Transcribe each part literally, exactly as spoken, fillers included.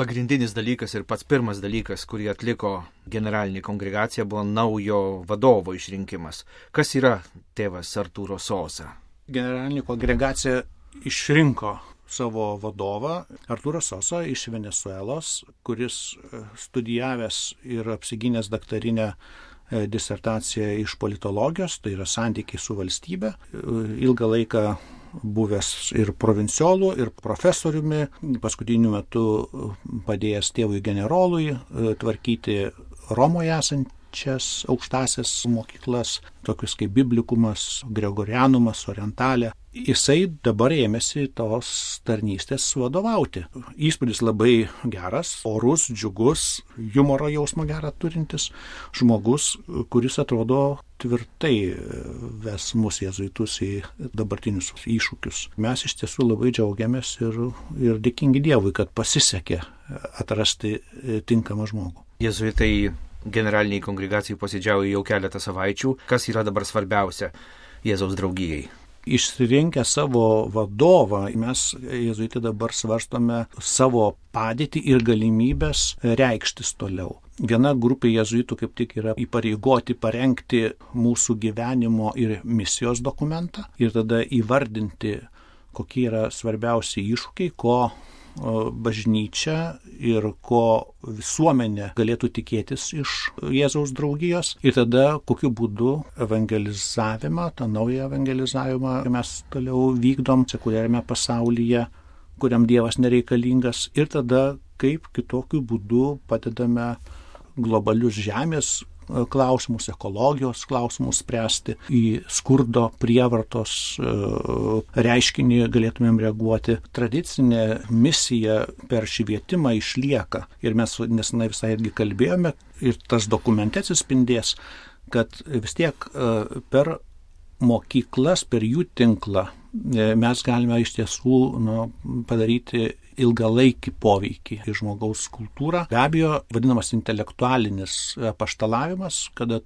Pagrindinis dalykas ir pats pirmas dalykas, kurį atliko generalinė kongregacija, buvo naujo vadovo išrinkimas. Kas yra tėvas Arturo Sosa? Generalinė kongregacija išrinko savo vadovą Arturo Sosa iš Venesuelos, kuris studijavęs ir apsigynęs daktarinę disertaciją iš politologijos, tai yra santykiai su valstybe, ilgą laiką buvęs ir provinciolų, ir profesoriumi, paskutiniu metu padėjęs tėvui generolui tvarkyti Romoje esančias aukštasias mokyklas, tokius kaip Biblikumas, Gregorianumas, Orientalė. Jisai dabar ėmėsi tos tarnystės vadovauti. Įspūdis labai geras, orus, džiugus, humoro jausmą gerą turintis žmogus, kuris atrodo tvirtai ves mus jėzuitus į dabartinius iššūkius. Mes iš tiesų labai džiaugiamės ir, ir dėkingi Dievui, kad pasisekė atrasti tinkamą žmogų. Jėzuitai generaliniai kongregacijai posėdžiauja jau keletą savaičių. Kas yra dabar svarbiausia Jėzaus draugijai? Išsirinkę savo vadovą, mes jėzuitai dabar svarstome savo padėtį ir galimybės reikštis toliau. Viena grupė jėzuitų kaip tik yra įpareigoti parengti mūsų gyvenimo ir misijos dokumentą ir tada įvardinti, kokie yra svarbiausi iššūkiai, ko bažnyčia ir ko visuomenė galėtų tikėtis iš Jėzaus draugijos ir tada kokiu būdu evangelizavimą, tą naują evangelizavimą mes toliau vykdom sekuliariame pasaulyje, kuriam Dievas nereikalingas ir tada kaip kitokiu būdu padedame globalius žemės klausimus, ekologijos klausimus spręsti, į skurdo prievartos reiškinį galėtumėm reaguoti. Tradicinė misija per švietimą išlieka ir mes nesenai visai irgi kalbėjome ir tas dokumente atsispindės, kad vis tiek per mokyklas, per jų tinklą mes galime iš tiesų nu, padaryti ilgalaikį poveikį į žmogaus kultūrą. Be abejo, vadinamas intelektualinis apaštalavimas, kada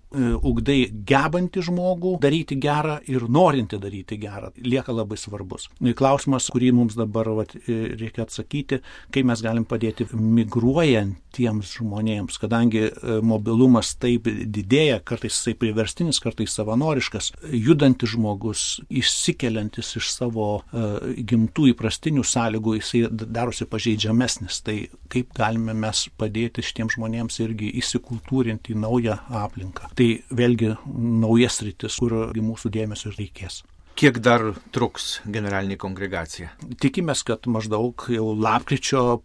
ugdai gebantį žmogų daryti gerą ir norinti daryti gerą, lieka labai svarbus. Klausimas, kurį mums dabar vat, reikia atsakyti, kaip mes galim padėti migruojantiems žmonėms, kadangi mobilumas taip didėja, kartais jisai priverstinis, kartais savanoriškas, judantis žmogus, išsikeliantis iš savo uh, gimtų įprastinių sąlygų, jisai darosi pažeidžiamesnis. Tai kaip galime mes padėti šitiems žmonėms irgi įsikultūrinti į naują aplinką. Tai vėlgi naujas sritis, kur mūsų dėmesio reikės. Kiek dar truks generalinė kongregacija? Tikimės, kad maždaug jau lapkričio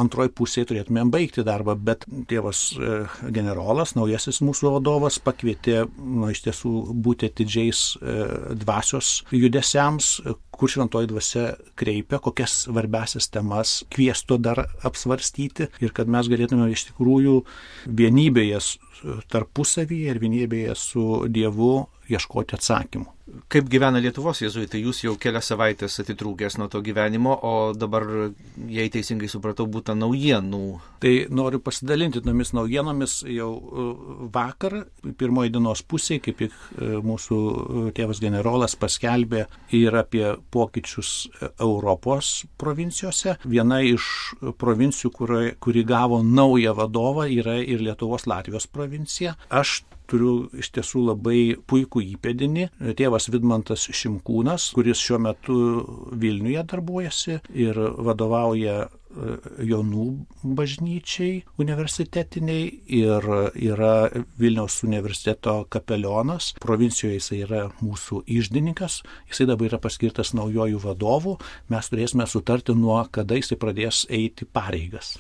antroji pusėje turėtumėm baigti darbą, bet tėvas generolas, naujasis mūsų vadovas, pakvietė nu, iš tiesų būti atidžiais dvasios judesiams, kur šventoji dvasia kreipia, kokias svarbiausias temas kviestų dar apsvarstyti ir kad mes galėtume iš tikrųjų vienybėje tarpusavyje ir vienybėje su Dievu ieškoti atsakymų. Kaip gyvena Lietuvos jėzuitai? Jūs jau kelias savaitės atitrūkęs nuo to gyvenimo, o dabar, jei teisingai supratau, būta naujienų. Tai noriu pasidalinti tomis naujienomis jau vakar, pirmoji dienos pusėje, kaip tik mūsų tėvas generolas paskelbė ir apie pokyčius Europos provincijose. Viena iš provincijų, kuri, kuri gavo naują vadovą, yra ir Lietuvos Latvijos provincija. Aš turiu iš tiesų labai puikų įpėdinį, tėvas Vidmantas Šimkūnas, kuris šiuo metu Vilniuje darbuojasi ir vadovauja Jonų bažnyčiai universitetiniai ir yra Vilniaus universiteto kapelionas. Provincijoje jisai yra mūsų iždininkas, jisai dabar yra paskirtas naujojų vadovų. Mes turėsime sutarti, nuo kada jisai pradės eiti pareigas.